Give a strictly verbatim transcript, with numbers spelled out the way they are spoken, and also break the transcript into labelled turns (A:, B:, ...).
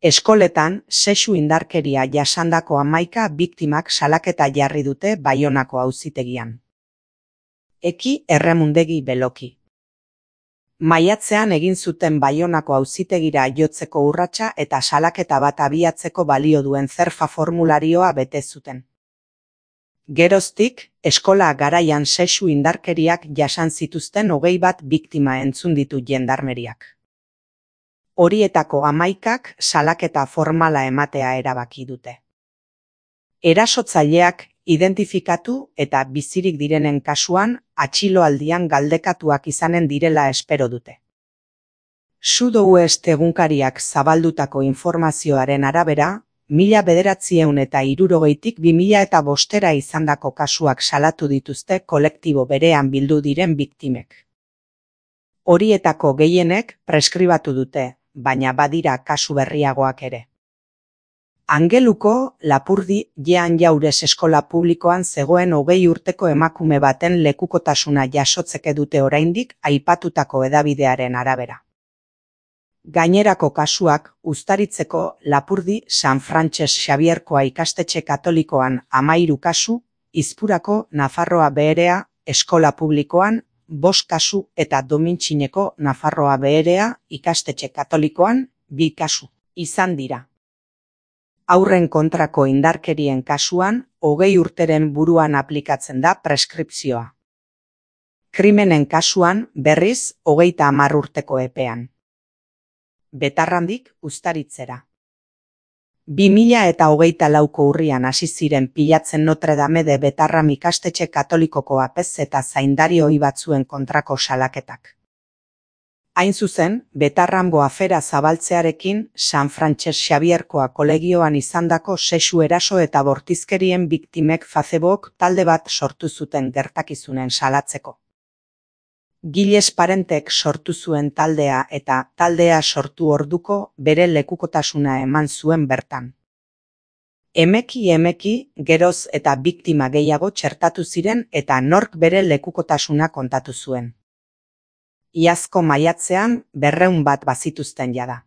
A: Eskoletan sexu indarkeria jasandako hamaika biktimak salaketa jarri dute Baionako auzitegian. Eki Erremundegi Beloki. Maiatzean egin zuten Baionako auzitegira jotzeko urratsa eta salaketa bat abiatzeko balio duen zerfa formularioa bete zuten. Geroztik, eskola garaian sexu indarkeriak jasan zituzten hogei bat biktima entzun ditu jendarmeriak. Horietako hamaikak salaketa formala ematea erabaki dute. Erasotzaileak identifikatu eta bizirik direnen kasuan atxiloaldian galdekatuak izanen direla espero dute. Sudoeste egunkariak zabaldutako informazioaren arabera, mila bederatziehun eta hirurogeitik bi mila eta bostera izandako kasuak salatu dituzte kolektibo berean bildu diren biktimek. Horietako gehienek preskribatu dute, baina badira kasu berriagoak ere. Angeluko Lapurdi Jean Jaures eskola publikoan zegoen hogei urteko emakume baten lekukotasuna jasotzeke dute oraindik aipatutako hedabidearen arabera. Gainerako kasuak Uztaritzeko Lapurdi San Frantses Xabierkoa ikastetxe katolikoan hamahiru kasu, Izpurako Nafarroa Beherea eskola publikoan bost kasu eta Domintxineko Nafarroa Beherea ikastetxe katolikoan bi kasu izan dira. Haurren kontrako indarkerien kasuan, hogei urteren buruan aplikatzen da preskripzioa. Krimenen kasuan, berriz, hogeita hamar urteko epean. Betarrandik Uztaritzera. Bi mila eta hogeita lauko urrian hasi ziren pilatzen Notre Dame de Betarram ikastetxe katolikoko apez eta zaindari ohi batzuen kontrako salaketak. Hain zuzen, Betarramgo afera zabaltzearekin San Frantses Xabierkoa kolegioan izandako sexu eraso eta bortizkerien biktimek Facebook talde bat sortu zuten gertakizunen salatzeko. Giles Parentek sortu zuen taldea eta taldea sortu orduko bere lekukotasuna eman zuen bertan. Emeki emeki geroz eta biktima gehiago txertatu ziren eta nork bere lekukotasuna kontatu zuen. Iazko maiatzean berrehun bat bazituzten jada.